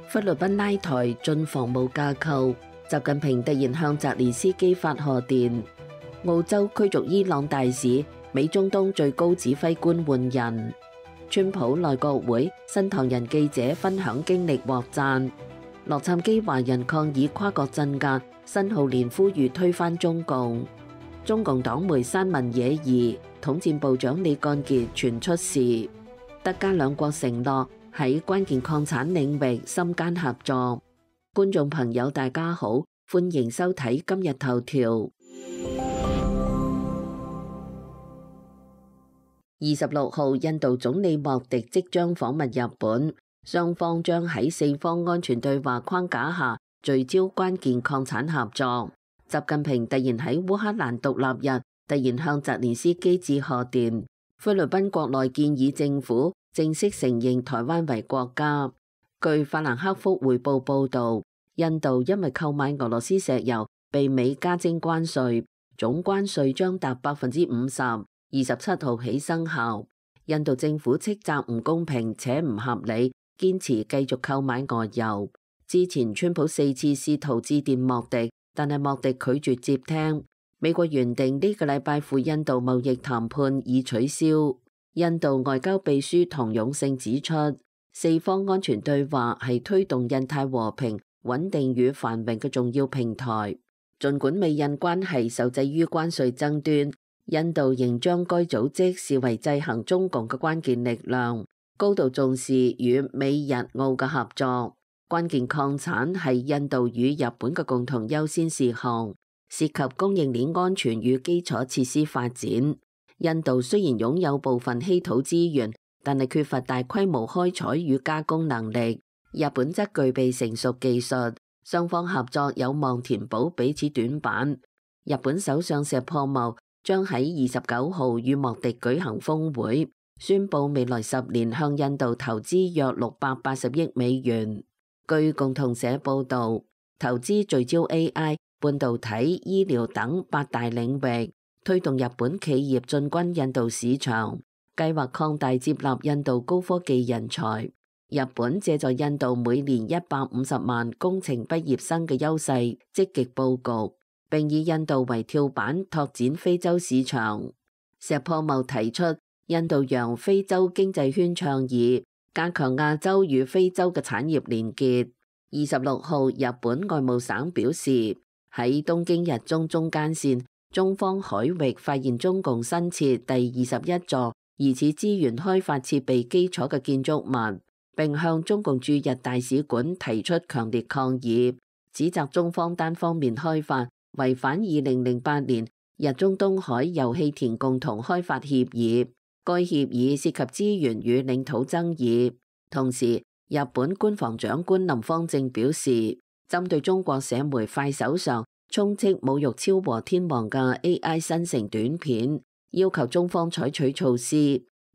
菲律賓拉台進防務架構，習近平突然向澤連斯基發賀電。澳洲驅逐伊朗大使，美中東最高指揮官換人。川普內閣會新唐人記者分享經歷獲讚。洛杉磯華人抗議跨國鎮壓，新浩年呼籲推翻中共。中共黨媒山文野疑，統戰部長李幹傑傳出事。德加兩國承諾喺關鍵礦產領域深耕合作。觀眾朋友大家好，歡迎收睇今日頭條。26號，印度總理莫迪即將訪問日本，雙方將喺四方安全對話框架下聚焦關鍵礦產合作。習近平突然喺烏克蘭獨立日突然向澤連斯基致賀電。菲律賓國內建議政府正式承認台灣為國家。據法蘭克福匯報報導，印度因為購買俄羅斯石油被美加徵關稅，總關稅將達50%。27號起生效。印度政府斥責唔公平且唔合理，堅持繼續購買俄油。之前川普4次試圖致電莫迪，但係莫迪拒絕接聽。美國原定呢個禮拜赴印度貿易談判已取消。印度外交秘書唐勇勝指出，四方安全對話係推動印太和平、穩定與繁榮嘅重要平台。儘管美印關係受制於關稅爭端，印度仍將該組織視為制衡中共嘅關鍵力量，高度重視與美日澳嘅合作。關鍵礦產係印度與日本嘅共同優先事項，涉及供應鏈安全與基礎設施發展。印度雖然擁有部分稀土資源，但係缺乏大規模開採與加工能力。日本則具備成熟技術，雙方合作有望填補彼此短板。日本首相石破茂將喺29號與莫迪舉行峰會，宣布未來10年向印度投資約680億美元。據共同社報導，投資聚焦 AI、半導體、醫療等8大領域，推動日本企業進軍印度市場，計劃擴大接納印度高科技人才。日本借助印度每年150萬工程畢業生嘅優勢，積極佈局，並以印度為跳板拓展非洲市場。石破茂提出印度洋非洲經濟圈倡議，加強亞洲與非洲嘅產業連結。26號，日本外務省表示，喺東京日中中間線中方海域發現中共新設第21座疑似資源開發設備基礎嘅建築物，並向中共駐日大使館提出強烈抗議，指責中方單方面開發，違反2008年日中東海油氣田共同開發協議，該協議涉及資源與領土爭議。同時，日本官房長官林芳正表示，針對中國社媒快手上充斥侮辱超和天皇嘅 AI 生成短片，要求中方採取措施。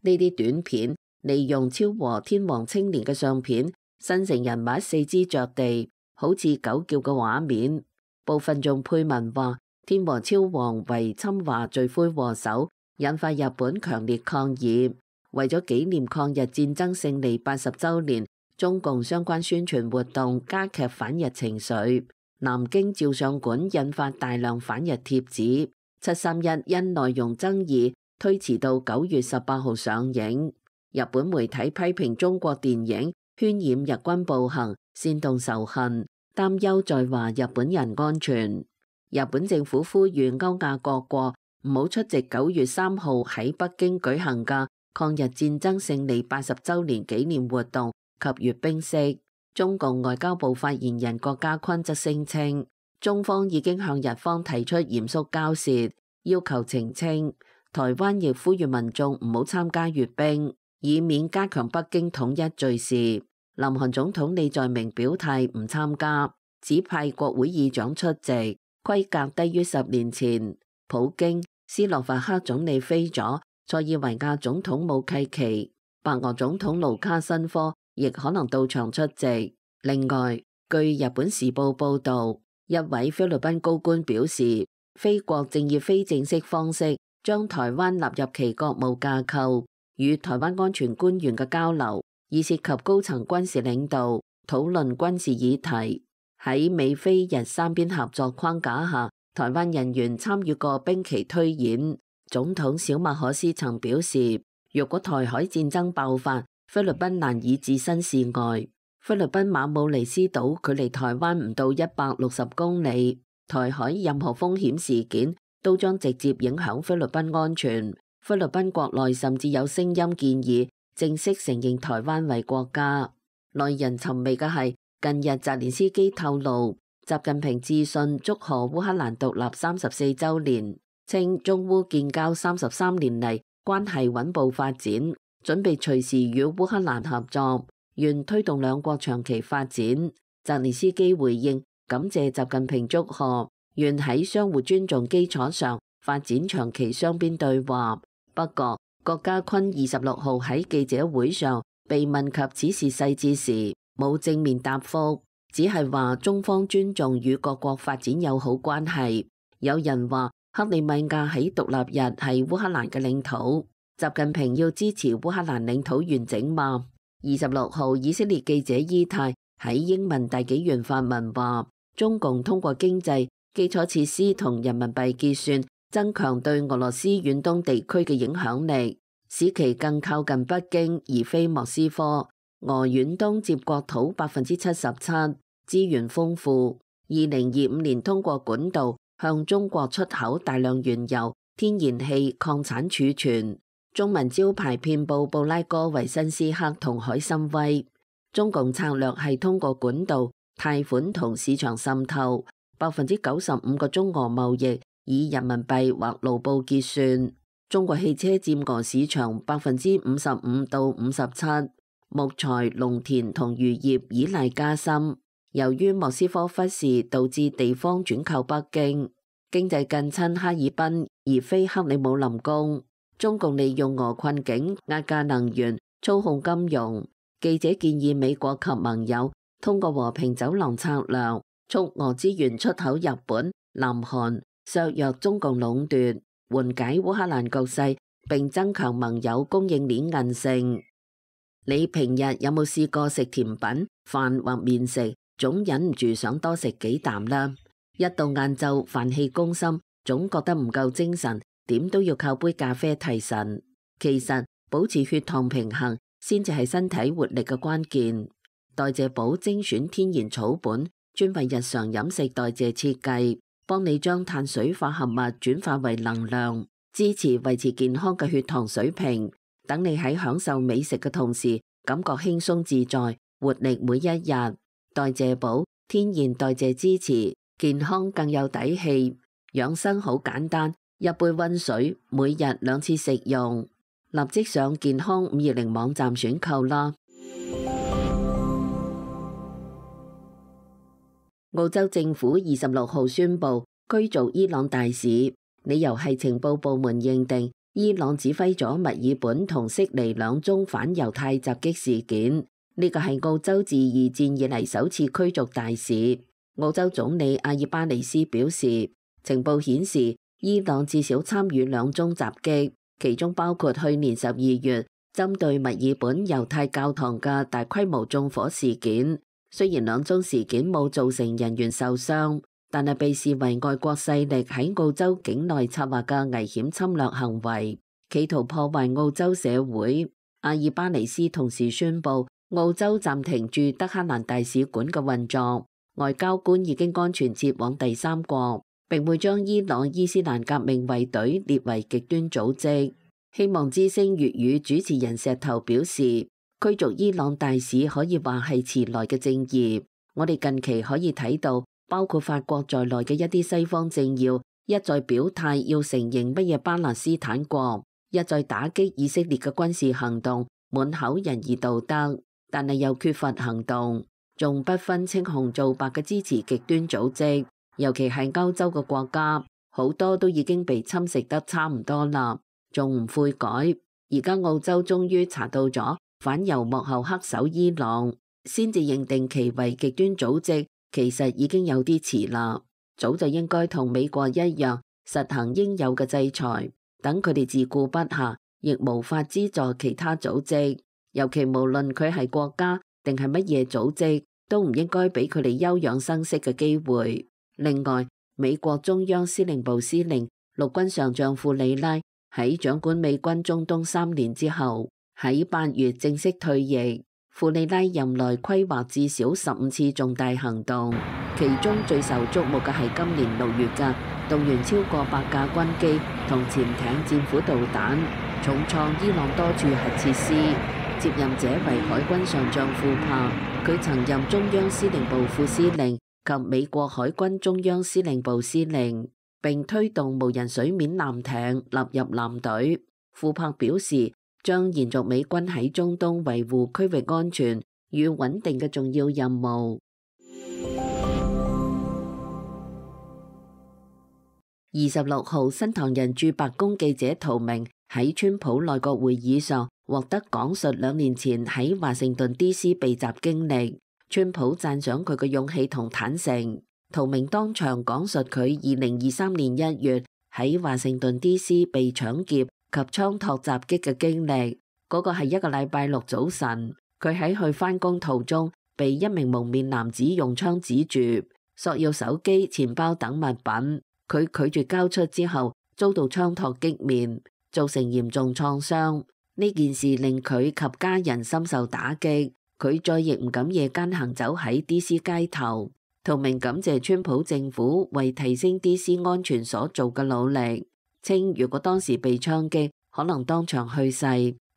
呢啲短片利用超和天皇青年嘅相片，生成人物四肢着地，好似狗叫嘅畫面。部分仲配文話天皇超皇為侵華罪魁禍首，引發日本強烈抗議。為咗紀念抗日戰爭勝利80週年，中共相關宣傳活動加劇反日情緒。南京照相館印發大量反日貼紙。731因內容爭議推遲到9月18號上映。日本媒體批評中國電影渲染日軍暴行，煽動仇恨，擔憂在華日本人安全。日本政府呼籲歐亞各國唔好出席9月3號喺北京舉行嘅抗日戰爭勝利80週年紀念活動及閱兵式。中共外交部發言人郭家坤則聲稱，中方已經向日方提出嚴肅交涉，要求澄清。台灣亦呼籲民眾唔好參加閱兵，以免加強北京統一罪事。南韓總統李在明表態唔參加，只派國會議長出席，規格低於10年前。普京、斯洛伐克總理菲佐、塞爾維亞總統武契奇、白俄總統盧卡申科亦可能到場出席。另外，據日本時報報導，一位菲律賓高官表示，菲國正以非正式方式將台灣納入其國務架構，與台灣安全官員嘅交流，已涉及高層軍事領導，討論軍事議題。喺美菲日三邊合作框架下，台灣人員參與過兵棋推演。總統小馬可斯曾表示，若果台海戰爭爆發，菲律賓難以置身事外。菲律賓馬武尼斯島距離台灣唔到160公里，台海任何風險事件都將直接影響菲律賓安全。菲律賓國內甚至有聲音建議正式承認台灣為國家。耐人尋味嘅係，近日澤連斯基透露，習近平致信祝賀烏克蘭獨立34週年，稱中烏建交33年嚟關係穩步發展，準備隨時與烏克蘭合作，願推動兩國長期發展。澤連斯基回應感謝習近平祝賀，願喺相互尊重基礎上發展長期雙邊對話。不過，郭家坤26號喺記者會上被問及此事細節時，冇正面答覆，只係話中方尊重與各國發展友好關係。有人話克里米亞喺獨立日係烏克蘭嘅領土，習近平要支持烏克蘭領土完整嗎？26號以色列記者伊泰喺英文大紀元發文話，中共通過經濟、基礎設施同人民幣結算，增強對俄羅斯遠東地區嘅影響力，使其更靠近北京而非莫斯科。俄遠東接國土77%，資源豐富。2025年通過管道向中國出口大量原油、天然氣、礦產儲存。中文招牌遍佈布拉戈維申斯克同海參崴。中共策略係通過管道、貸款同市場滲透，95%嘅中俄貿易以人民幣或盧布結算。中國汽車佔俄市場55%到57%。木材、農田同漁業依賴加深，由於莫斯科忽視，導致地方轉靠北京，經濟近親哈爾濱而非克里姆林宮。中共利用俄困境壓價能源、操控金融。記者建議美國及盟友通過和平走廊策略，促俄資源出口日本、南韓，削弱中共壟斷，緩解烏克蘭局勢，並增強盟友供應鏈韌性。你平日有冇試過食甜品、飯或麵食，總忍唔住想多食幾啖啦？一到晏晝飯氣攻心，總覺得唔夠精神，點都要靠杯咖啡提神。其實保持血糖平衡先至係身體活力嘅關鍵。代謝寶精選天然草本，專為日常飲食代謝設計，幫你將碳水化合物轉化為能量，支持維持健康嘅血糖水平。等你喺享受美食嘅同時，感覺輕鬆自在，活力每一日。代謝寶天然代謝支持，健康更有底氣。養生好簡單，一杯溫水，每日2次食用。立即上健康520網站選購啦。澳洲政府26號宣布驅逐伊朗大使，理由係情報部門認定伊朗指揮咗墨爾本同悉尼2宗反猶太襲擊事件，呢個係澳洲自2戰以嚟首次驅逐大使。澳洲總理阿爾巴尼斯表示，情報顯示伊朗至少參與2宗襲擊，其中包括去年12月針對墨爾本猶太教堂嘅大規模縱火事件。雖然2宗事件冇造成人員受傷，但係被視為外國勢力喺澳洲境內策劃嘅危險侵略行為，企圖破壞澳洲社會。阿爾巴尼斯同時宣布，澳洲暫停駐德黑蘭大使館嘅運作，外交官已經安全撤往第3國，並會將伊朗伊斯蘭革命衛隊列為極端組織。希望之聲粵語主持人石頭表示，驅逐伊朗大使可以話係遲來嘅正義。我哋近期可以睇到，包括法國在內嘅一啲西方政要一再表態要承認乜嘢巴勒斯坦國，一再打擊以色列嘅軍事行動，滿口仁義道德，但係又缺乏行動，仲不分青紅皂白嘅支持極端組織，尤其係歐洲嘅國家，好多都已經被侵蝕得差唔多啦，仲唔悔改？而家澳洲終於查到咗反猶幕後黑手伊朗，先至認定其為極端組織，其實已經有啲遲啦。早就應該同美國一樣實行應有嘅制裁，等佢哋自顧不暇，亦無法資助其他組織。尤其無論佢係國家定係乜嘢組織，都唔應該俾佢哋休養生息嘅機會。另外，美國中央司令部司令陸軍上將庫里拉喺掌管美軍中東3年之後，喺8月正式退役。庫里拉任內規劃至少15次重大行動，其中最受矚目嘅係今年6月嘅動員超過100架軍機同潛艇、戰斧導彈，重創伊朗多處核設施。接任者為海軍上將庫珀，佢曾任中央司令部副司令及美國海軍中央司令部司令，並推動無人水面艦艇納入艦隊。庫珀表示，將延續美軍喺中東維護區域安全與穩定嘅重要任務。26號，新唐人駐白宮記者陶明喺川普內閣會議上獲得講述2年前喺華盛頓 D.C. 被襲經歷。川普讚賞佢嘅勇氣同坦誠。陶明當場講述佢2023年1月喺華盛頓 D.C. 被搶劫及槍托襲擊嘅經歷。嗰個係一個禮拜六早晨，佢喺去返工途中被一名蒙面男子用槍指住，索要手機、錢包等物品。佢拒絕交出之後，遭到槍托擊面，造成嚴重創傷。呢件事令佢及家人深受打擊，佢再亦唔敢夜間行走喺 D.C. 街頭。陶明感謝川普政府為提升 D.C. 安全所做嘅努力，稱如果當時被槍擊，可能當場去世。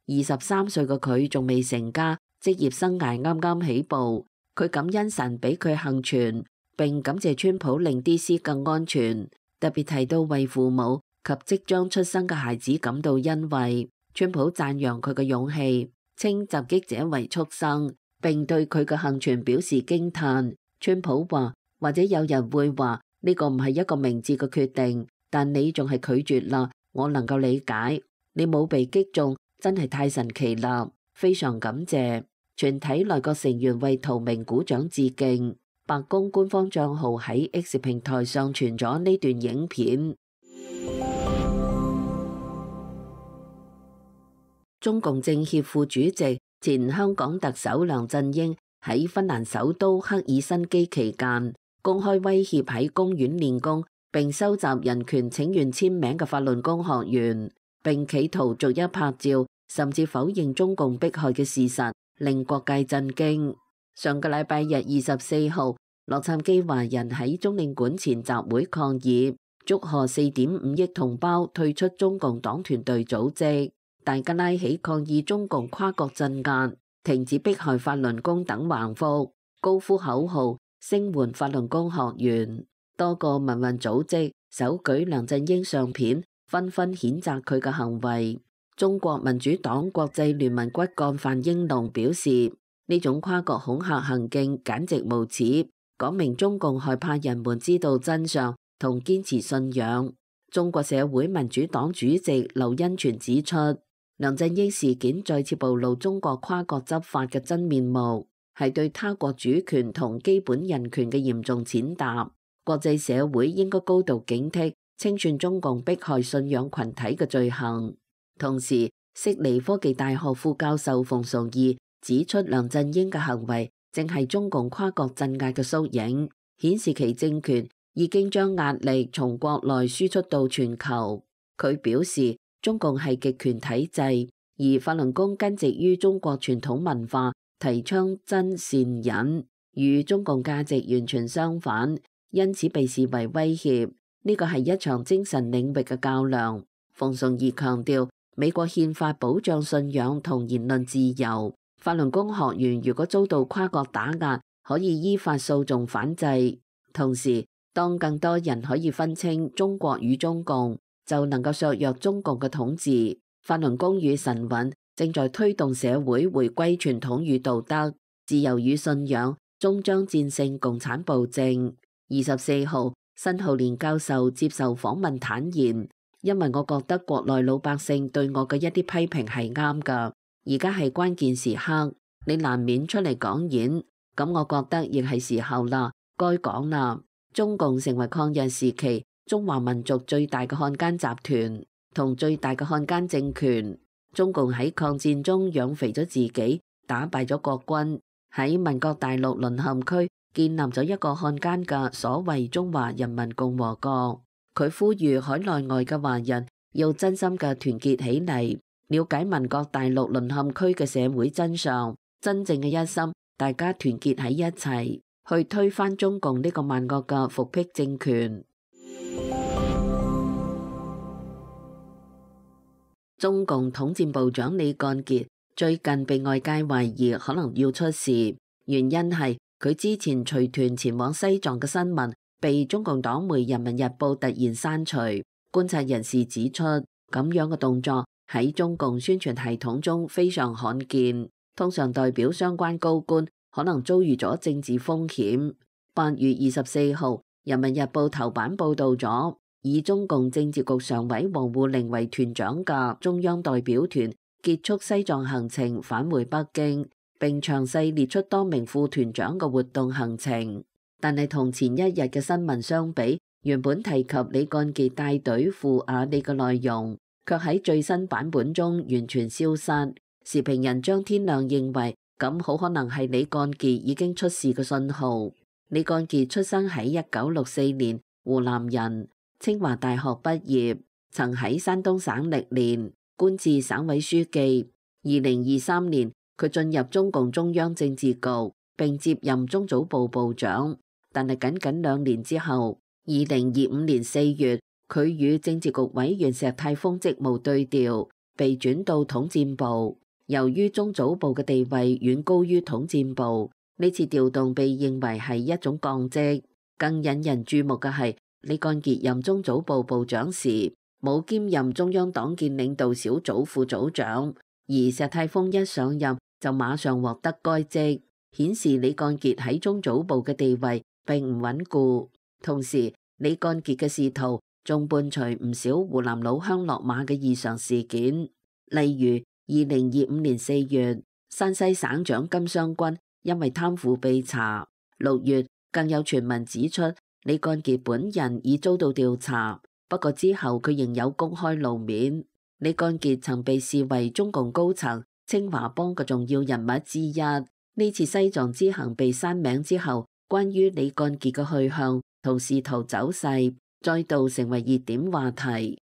23歲嘅佢仲未成家，職業生涯啱啱起步。佢感恩神俾佢幸存，並感謝川普令 D.C. 更安全，特別提到為父母及即將出生嘅孩子感到欣慰。川普讚揚佢嘅勇氣，稱襲擊者為畜生，並對佢嘅幸存表示驚嘆。川普話：或者有人會話呢個唔係一個明智嘅決定，但你仲係拒絕啦，我能夠理解。你冇被擊中，真係太神奇啦！非常感謝。全體內閣成員為陶明鼓掌致敬。白宮官方帳號喺 X 平台上傳咗呢段影片。中共政協副主席、前香港特首梁振英喺芬蘭首都赫爾辛基期間，公開威脅喺公園練功並收集人權請願簽名嘅法輪功學員，並企圖逐一拍照，甚至否認中共迫害嘅事實，令各界震驚。上個禮拜日24號，洛杉磯華人喺中領館前集會抗議，祝賀4.5億同胞退出中共黨團隊組織，大家拉起抗議中共跨國鎮壓、停止迫害法輪功等橫幅，高呼口號，聲援法輪功學員。多個民運組織手舉梁振英相片，紛紛譴責佢嘅行為。中國民主黨國際聯盟骨幹范英龍表示，呢種跨國恐嚇行徑簡直無恥，講明中共害怕人們知道真相同堅持信仰。中國社會民主黨主席劉恩全指出，梁振英事件再次暴露中國跨國執法嘅真面目，係對他國主權同基本人權嘅嚴重踐踏。國際社會應該高度警惕清算中共迫害信仰群體嘅罪行。同時，悉尼科技大學副教授馮崇義指出，梁振英嘅行為正係中共跨國鎮壓嘅縮影，顯示其政權已經將壓力從國內輸出到全球。佢表示，中共係極權體制，而法輪功根植於中國傳統文化，提倡真善忍，與中共價值完全相反，因此被視為威脅。呢個係一場精神領域嘅較量。馮崇義強調，美國憲法保障信仰同言論自由，法輪功學員如果遭到跨國打壓，可以依法訴訟反制。同時，當更多人可以分清中國與中共，就能夠削弱中共嘅統治。法輪功與神韻正在推動社會回歸傳統與道德、自由與信仰，終將戰勝共產暴政。24號，申浩年教授接受訪問坦言，因為我覺得國內老百姓對我嘅一啲批評係啱㗎，而家係關鍵時刻，你難免出嚟講演，咁我覺得亦係時候啦，該講啦。中共成為抗日時期中華民族最大嘅漢奸集團同最大嘅漢奸政權。中共喺抗戰中養肥咗自己，打敗咗國軍，喺民國大陸淪陷區建立咗一個漢奸嘅所謂中華人民共和國。佢呼籲海內外嘅華人要真心嘅團結起嚟，了解民國大陸淪陷區嘅社會真相，真正嘅一心，大家團結喺一齊，去推翻中共呢個萬惡嘅復辟政權。中共統戰部長李幹傑最近被外界懷疑可能要出事，原因係佢之前隨團前往西藏嘅新聞被中共黨媒《人民日報》突然刪除。觀察人士指出，咁樣嘅動作喺中共宣傳系統中非常罕見，通常代表相關高官可能遭遇咗政治風險。8月24號，《人民日報》頭版報導咗，以中共政治局常委王滬寧為團長嘅中央代表團結束西藏行程返回北京，並詳細列出多名副團長嘅活動行程。但係同前一日嘅新聞相比，原本提及李幹傑帶隊赴雅利嘅內容，卻喺最新版本中完全消失。時評人張天亮認為，咁好可能係李幹傑已經出事嘅信號。李幹傑出生喺1964年，湖南人，清華大學畢業，曾喺山東省歷練，官至省委書記。2023年，佢進入中共中央政治局，並接任中組部部長。但係僅僅2年之後，2025年4月，佢與政治局委員石泰峰職務對調，被轉到統戰部。由於中組部嘅地位遠高於統戰部，呢次調動被認為係一種降職。更引人注目嘅係，李幹傑任中組部部長時，冇兼任中央黨建領導小組副組長，而石泰峰一上任就馬上獲得該職，顯示李幹傑喺中組部嘅地位並唔穩固。同時，李幹傑嘅仕途仲伴隨唔少湖南老鄉落馬嘅異常事件，例如2025年4月，山西省長金湘軍因為貪腐被查；6月，更有傳聞指出李幹傑本人已遭到調查，不過之後佢仍有公開露面。李幹傑曾被視為中共高層清華幫嘅重要人物之一。呢次西藏之行被刪名之後，關於李幹傑嘅去向同仕途走勢再度成為熱點話題。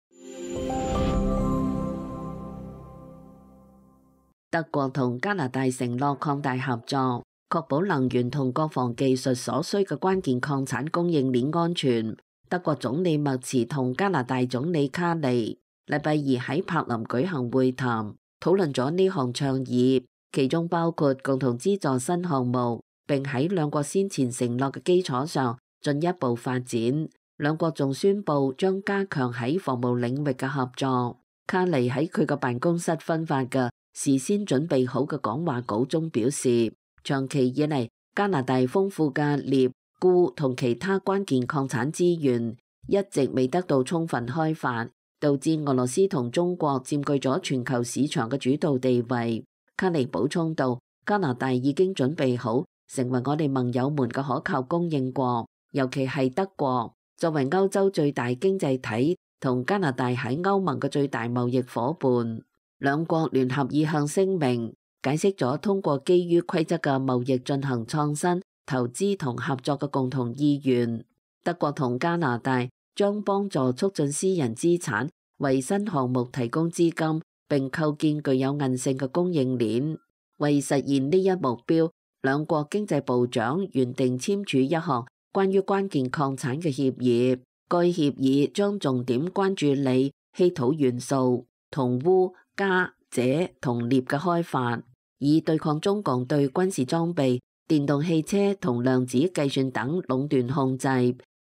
德國同加拿大承諾擴大合作，確保能源同國防技術所需嘅關鍵礦產供應鏈安全。德國總理默茨同加拿大總理卡尼禮拜二喺柏林舉行會談，討論咗呢項倡議，其中包括共同資助新項目，並喺兩國先前承諾嘅基礎上進一步發展。兩國仲宣布將加強喺防務領域嘅合作。卡尼喺佢嘅辦公室分發嘅事先準備好嘅講話稿中表示，長期以嚟加拿大豐富嘅鎳、鈷同其他關鍵礦產資源一直未得到充分開發，導致俄羅斯同中國佔據咗全球市場嘅主導地位。卡尼補充道，加拿大已經準備好成為我哋盟友們嘅可靠供應國，尤其係德國作為歐洲最大經濟體同加拿大喺歐盟嘅最大貿易夥伴。兩國聯合意向聲明解釋咗通過基於規則嘅貿易進行創新、投資同合作嘅共同意願。德國同加拿大將幫助促進私人資產，為新項目提供資金，並構建具有韌性嘅供應鏈。為實現呢一目標，兩國經濟部長原定簽署一項關於關鍵礦產嘅協議。該協議將重點關注鋰、稀土元素、銅、鎢、鎵、鍺同鎳嘅開發，以對抗中共對軍事裝備、電動汽車同量子計算等壟斷控制。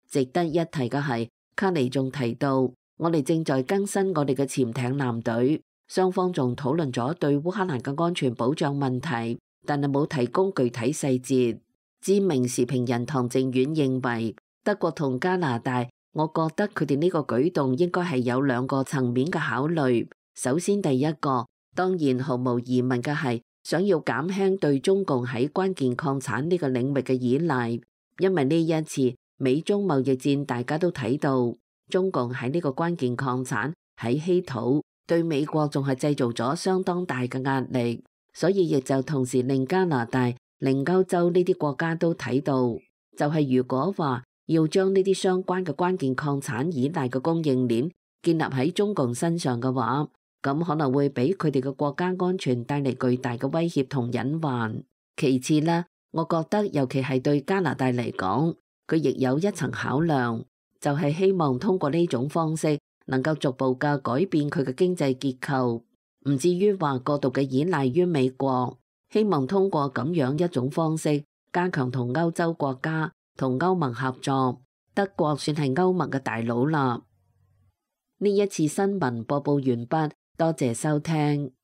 值得一提嘅係，卡尼仲提到，我哋正在更新我哋嘅潛艇艦隊，雙方仲討論咗對烏克蘭嘅安全保障問題，但係冇提供具體細節。知名時評人唐靖遠認為，德國同加拿大，我覺得佢哋呢個舉動應該係有兩個層面嘅考慮。首先，第一個當然毫無疑問嘅係想要減輕對中共喺關鍵礦產呢個領域嘅依賴，因為呢一次美中貿易戰大家都睇到，中共喺呢個關鍵礦產喺稀土對美國仲係製造咗相當大嘅壓力，所以亦就同時令加拿大令歐洲呢啲國家都睇到，就係如果話要將呢啲相關嘅關鍵礦產依賴嘅供應鏈建立喺中共身上嘅話，咁可能會俾佢哋嘅國家安全帶嚟巨大嘅威脅同隱患。其次呢，我覺得尤其係對加拿大嚟講，佢亦有一層考量，就係希望通過呢種方式能夠逐步嘅改變佢嘅經濟結構，唔至於話過度嘅依賴於美國。希望通過咁樣一種方式加強同歐洲國家同歐盟合作。德國算係歐盟嘅大佬啦。呢一次新聞播報完畢，多謝收聽。